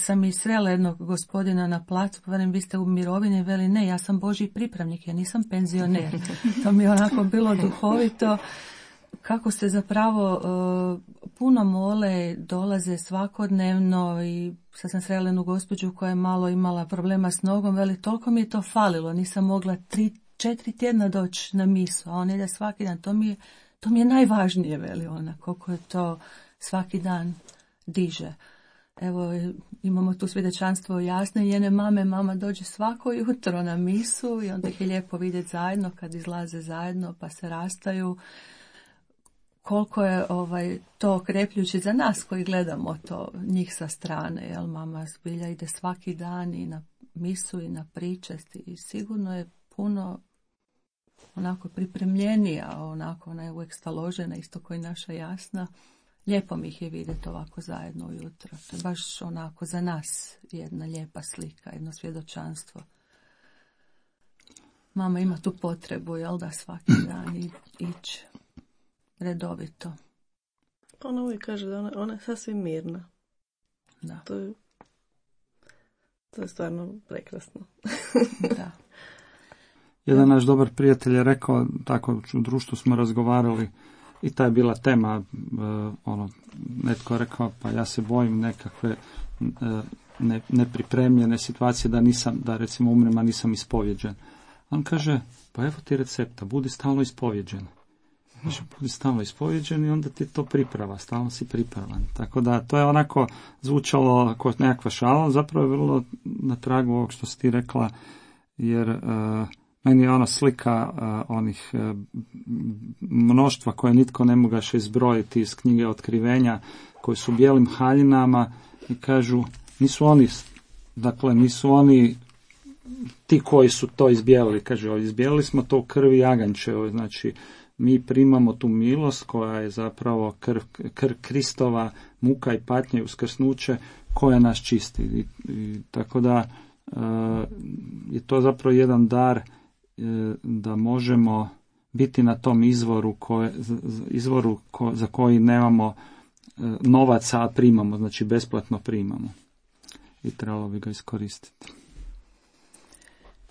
[SPEAKER 4] sam i srela jednog gospodina na placu, pa vi ste u mirovini, veli ne, ja sam Božji pripravnik, ja nisam penzioner. To mi je onako bilo duhovito. Kako se zapravo puno mole, dolaze svakodnevno i sad sam srela jednu gospođu koja je malo imala problema s nogom, veli toliko mi je to falilo, nisam mogla 3-4 tjedna doći na misu, a on ide svaki dan, to mi je najvažnije, veli ona, koliko je to svaki dan diže. Evo, imamo tu svjedočanstvo jasne njene mame, mama dođe svako jutro na misu i onda ih je lijepo vidjeti zajedno kad izlaze zajedno pa se rastaju. Koliko je to okrepljujuće za nas koji gledamo to njih sa strane, jel, mama zbilja ide svaki dan i misu i na pričasti i sigurno je puno onako pripremljenija, onako ona je uvijek staložena, isto kao i naša Jasna. Lijepo mi ih je vidjeti ovako zajedno ujutro. To je baš onako za nas jedna lijepa slika, jedno svjedočanstvo. Mama ima tu potrebu, jel da, svaki dan ići redovito.
[SPEAKER 3] Ona uvijek kaže da ona je sasvim mirna.
[SPEAKER 4] Da.
[SPEAKER 3] To je stvarno prekrasno.
[SPEAKER 4] Da.
[SPEAKER 5] Jedan naš dobar prijatelj je rekao, tako u društvu smo razgovarali, i ta je bila tema, netko je rekao, pa ja se bojim nekakve nepripremljene situacije da recimo umrem, a nisam ispovjeđen. On kaže, pa evo ti recepta, budi stalno ispovjeđen. Znači, budi stalno ispovjeđen i onda ti to priprava, stalno si pripravan. Tako da to je onako zvučalo kao nekakva šala, zapravo je vrlo na tragu ovog što si ti rekla, jer meni je ona slika onih mnoštva koje nitko ne mogaše izbrojiti iz knjige Otkrivenja, koji su u bijelim haljinama i kažu, nisu oni ti koji su to izbijelili, kaže, izbijelili smo to u krvi jaganjčevoj, znači mi primamo tu milost koja je zapravo krv Kristova, muka i patnje i uskrsnuće koja nas čisti. I tako da je to zapravo jedan dar da možemo biti na tom izvoru za koji nemamo novaca, a primamo, znači besplatno primamo. I trebalo bi ga iskoristiti.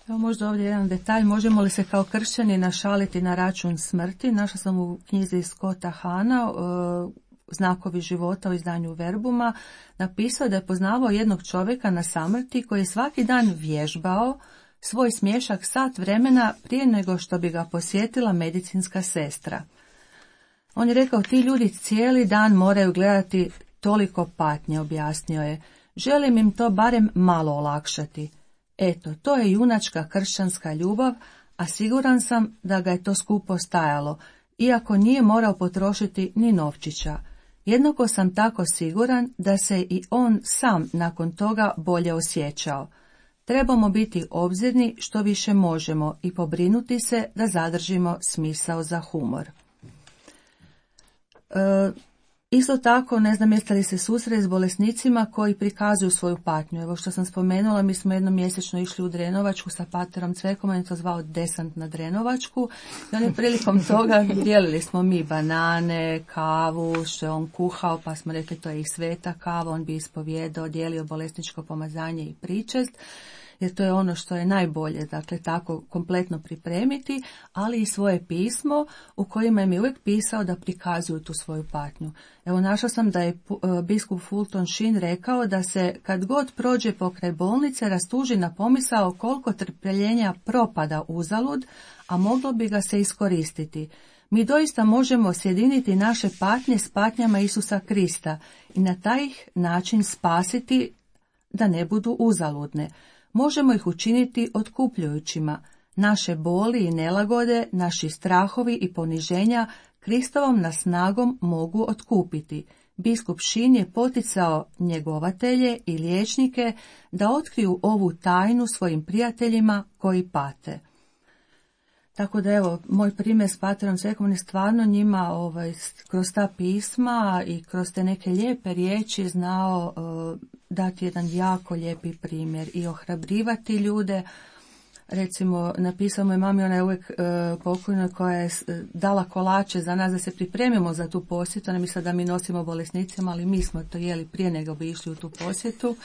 [SPEAKER 4] Evo možda ovdje jedan detalj, možemo li se kao kršćani našaliti na račun smrti? Našla sam u knjizi Scotta Hana, Znakovi života u izdanju Verbuma, napisao da je poznavao jednog čovjeka na samrti koji je svaki dan vježbao svoj smješak sat vremena prije nego što bi ga posjetila medicinska sestra. On je rekao, ti ljudi cijeli dan moraju gledati toliko patnje, objasnio je. Želim im to barem malo olakšati. Eto, to je junačka kršćanska ljubav, a siguran sam da ga je to skupo stajalo, iako nije morao potrošiti ni novčića. Jednako sam tako siguran da se i on sam nakon toga bolje osjećao. Trebamo biti obzirni što više možemo i pobrinuti se da zadržimo smisao za humor. Isto tako, ne znam jeste li se susreli s bolesnicima koji prikazuju svoju patnju. Evo što sam spomenula, mi smo jednom mjesečno išli u Drenovačku sa paterom Cvekom, on je to zvao desant na Drenovačku. I on je prilikom toga dijelili smo mi banane, kavu, što je on kuhao, pa smo rekli to je i sveta kava, on bi ispovijedao, dijelio bolesničko pomazanje i pričest. Jer to je ono što je najbolje, dakle tako kompletno pripremiti, ali i svoje pismo u kojima je mi uvijek pisao da prikazuju tu svoju patnju. Evo našla sam da je biskup Fulton Sheen rekao da se kad god prođe pokraj bolnice rastuži na pomisao koliko trpljenja propada uzalud, a moglo bi ga se iskoristiti. Mi doista možemo sjediniti naše patnje s patnjama Isusa Krista i na taj način spasiti da ne budu uzaludne. Možemo ih učiniti otkupljujućima. Naše boli i nelagode, naši strahovi i poniženja Kristovom nas snagom mogu otkupiti. Biskup Sheen je poticao njegovatelje i liječnike da otkriju ovu tajnu svojim prijateljima koji pate. Tako da evo, moj primjer s paterom Cvekom je stvarno njima kroz ta pisma i kroz te neke lijepe riječi znao dati jedan jako lijepi primjer i ohrabrivati ljude. Recimo, napisao moj mami, ona je uvijek pokojna koja je dala kolače za nas da se pripremimo za tu posjetu. Ona misla da mi nosimo bolesnicima, ali mi smo to jeli prije nego bi išli u tu posjetu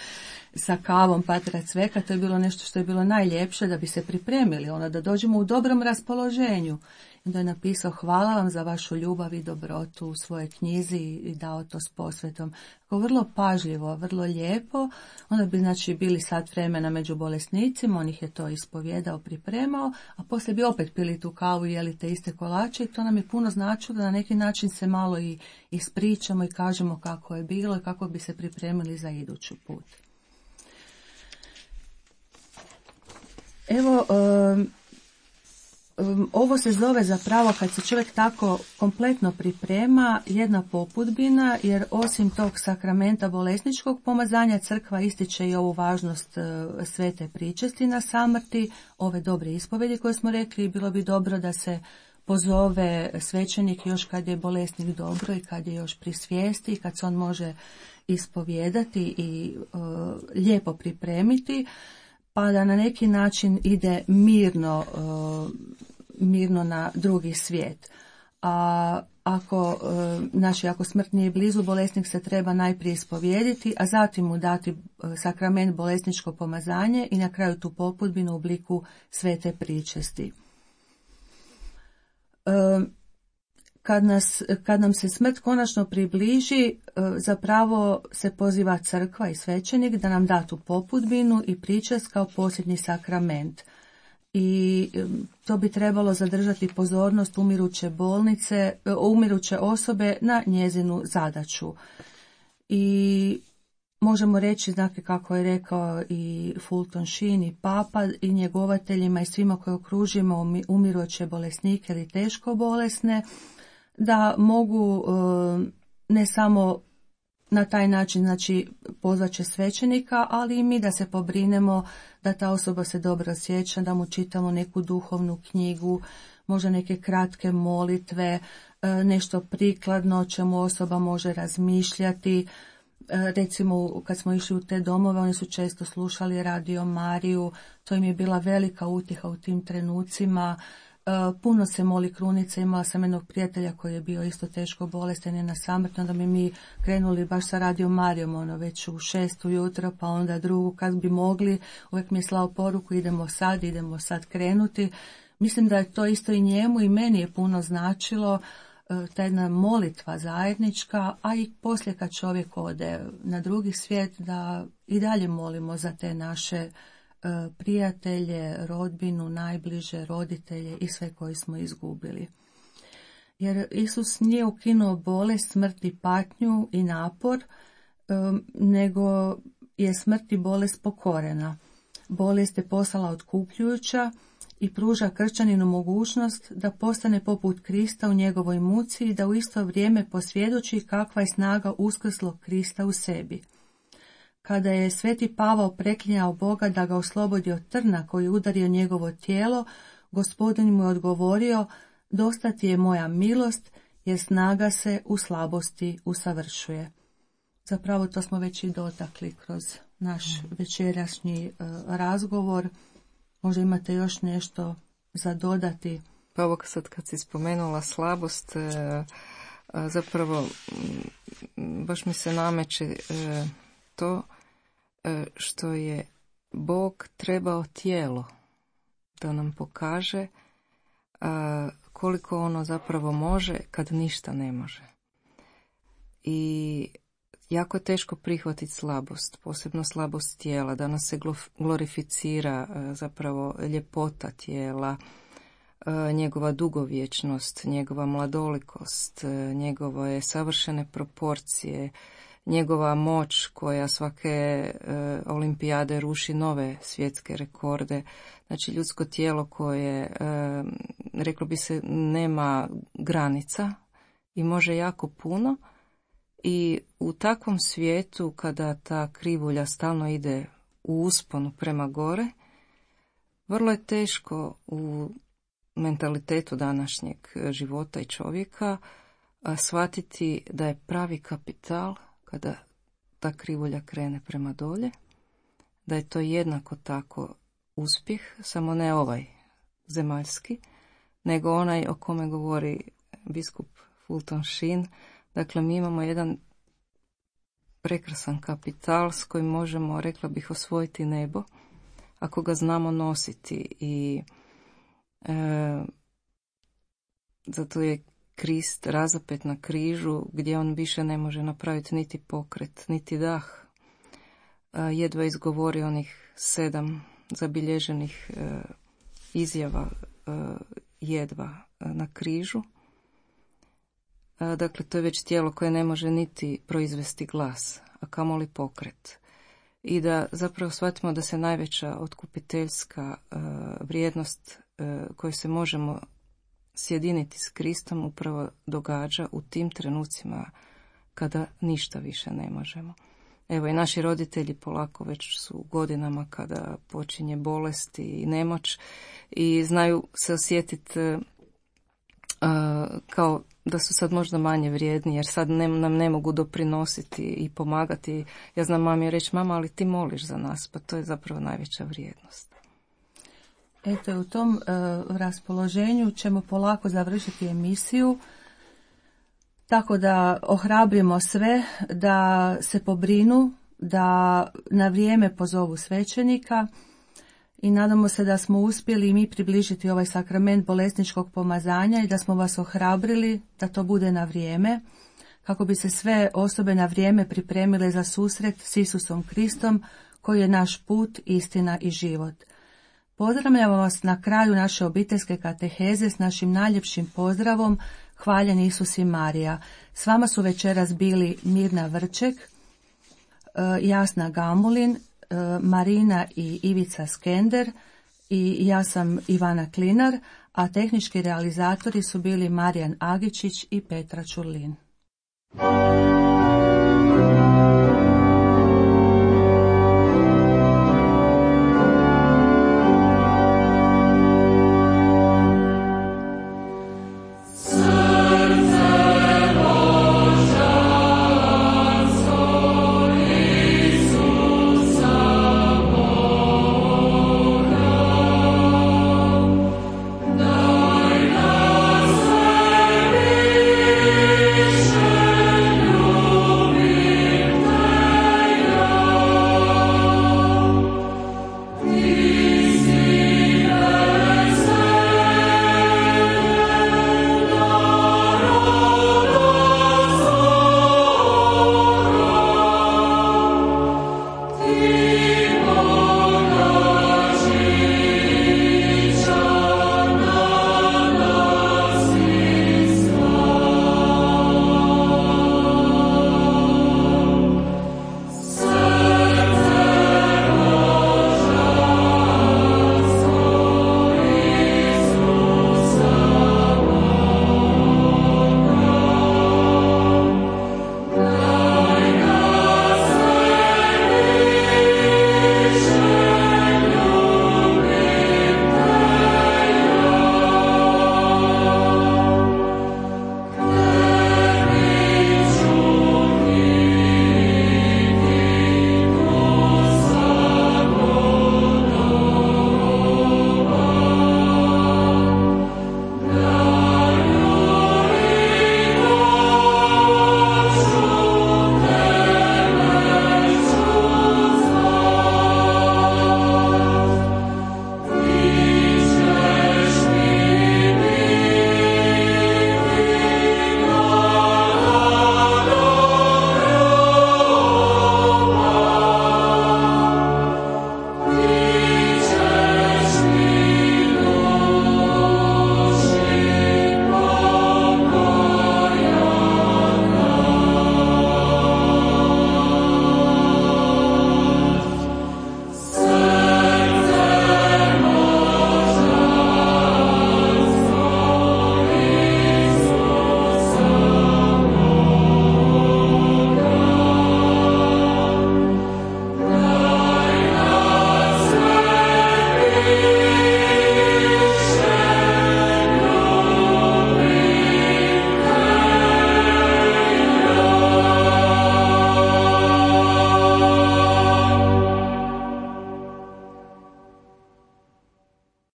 [SPEAKER 4] sa kavom patera Cveka. To je bilo nešto što je bilo najljepše da bi se pripremili, da dođemo u dobrom raspoloženju. I onda je napisao, hvala vam za vašu ljubav i dobrotu u svojoj knjizi i dao to s posvetom. Tako vrlo pažljivo, vrlo lijepo. Onda bi bili sat vremena među bolesnicima, on ih je to ispovjedao, pripremao, a poslije bi opet pili tu kavu i jeli te iste kolače i to nam je puno značilo da na neki način se malo i ispričamo i kažemo kako je bilo i kako bi se pripremili za idući put. Evo, ovo se zove zapravo, kad se čovjek tako kompletno priprema, jedna popudbina, jer osim tog sakramenta bolesničkog pomazanja, crkva ističe i ovu važnost svete pričesti na samrti, ove dobre ispovedi koje smo rekli, bilo bi dobro da se pozove svećenik još kad je bolesnik dobro i kad je još pri svijesti i kad se on može ispovijedati i lijepo pripremiti, pa da na neki način ide mirno na drugi svijet. A ako smrt nije blizu, bolesnik se treba najprije ispovijediti, a zatim mu dati sakrament bolesničko pomazanje i na kraju tu popudbinu u obliku svete pričesti. Kad nam se smrt konačno približi, zapravo se poziva crkva i svećenik da nam da tu popudbinu i pričest kao posljednji sakrament. I to bi trebalo zadržati pozornost umiruće osobe na njezinu zadaću. I možemo reći, dakle, kako je rekao i Fulton Sheen i Papa i njegovateljima i svima koji okružimo umiruće bolesnike ili teško bolesne, da mogu ne samo na taj način, znači, pozvaće svećenika, ali i mi da se pobrinemo da ta osoba se dobro osjeća, da mu čitamo neku duhovnu knjigu, možda neke kratke molitve, nešto prikladno o čemu osoba može razmišljati. Recimo, kad smo išli u te domove, oni su često slušali Radio Mariju, to im je bila velika utjeha u tim trenucima. Puno se moli krunice, imala sam jednog prijatelja koji je bio isto teško bolestan i na samrti, onda bi mi krenuli baš sa Radio Marijom, već u 6 ujutro, pa onda drugu kad bi mogli, uvijek mi je slao poruku, idemo sad krenuti. Mislim da je to isto i njemu i meni je puno značilo, ta jedna molitva zajednička, a i poslije kad čovjek ode na drugi svijet, da i dalje molimo za te naše prijatelje, rodbinu, najbliže, roditelje i sve koji smo izgubili. Jer Isus nije ukinuo bolest, smrt i patnju i napor, nego je smrt i bolest pokorena. Bolest je postala otkupljujuća i pruža kršćaninu mogućnost da postane poput Krista u njegovoj muci i da u isto vrijeme posvjedoči kakva je snaga uskrslog Krista u sebi. Kada je sveti Pavao preklinjao Boga da ga oslobodi od trna koji je udario njegovo tijelo, Gospodin mu je odgovorio: dosta ti je moja milost, jer snaga se u slabosti usavršuje. Zapravo to smo već i dotakli kroz naš večerašnji razgovor. Možda imate još nešto za dodati?
[SPEAKER 6] Pa ovo sad kad si spomenula slabost, zapravo baš mi se nameće to što je Bog trebao tijelo da nam pokaže koliko ono zapravo može kad ništa ne može. I jako je teško prihvatiti slabost, posebno slabost tijela, da nas se glorificira zapravo ljepota tijela, njegova dugovječnost, njegova mladolikost, njegove savršene proporcije, njegova moć koja svake olimpijade ruši nove svjetske rekorde. Znači ljudsko tijelo koje, reklo bi se, nema granica i može jako puno. I u takvom svijetu, kada ta krivulja stalno ide u usponu prema gore, vrlo je teško u mentalitetu današnjeg života i čovjeka shvatiti da je pravi kapital kada ta krivulja krene prema dolje, da je to jednako tako uspjeh, samo ne ovaj zemaljski, nego onaj o kome govori biskup Fulton Sheen. Dakle, mi imamo jedan prekrasan kapital s kojim možemo, rekla bih, osvojiti nebo, ako ga znamo nositi. I zato je Krist razapet na križu, gdje on više ne može napraviti niti pokret, niti dah. Jedva izgovori onih 7 zabilježenih izjava, jedva na križu. Dakle, to je već tijelo koje ne može niti proizvesti glas, a kamoli pokret. I da zapravo shvatimo da se najveća otkupiteljska vrijednost koji se možemo sjediniti s Kristom upravo događa u tim trenucima kada ništa više ne možemo. Evo i naši roditelji polako već su u godinama kada počinje bolest i nemoć i znaju se osjetiti kao da su sad možda manje vrijedni jer sad nam ne mogu doprinositi i pomagati. Ja znam mami reći, mama, ali ti moliš za nas, pa to je zapravo najveća vrijednost.
[SPEAKER 4] Eto, u tom raspoloženju ćemo polako završiti emisiju, tako da ohrabrimo sve da se pobrinu, da na vrijeme pozovu svećenika i nadamo se da smo uspjeli i mi približiti ovaj sakrament bolesničkog pomazanja i da smo vas ohrabrili da to bude na vrijeme, kako bi se sve osobe na vrijeme pripremile za susret s Isusom Kristom, koji je naš put, istina i život. Pozdravljamo vas na kraju naše obiteljske kateheze s našim najljepšim pozdravom Hvaljen Isus i Marija. S vama su večeras bili Mirna Vrček, Jasna Gamulin, Marina i Ivica Skender i ja sam Ivana Klinar, a tehnički realizatori su bili Marijan Agičić i Petra Čurlin.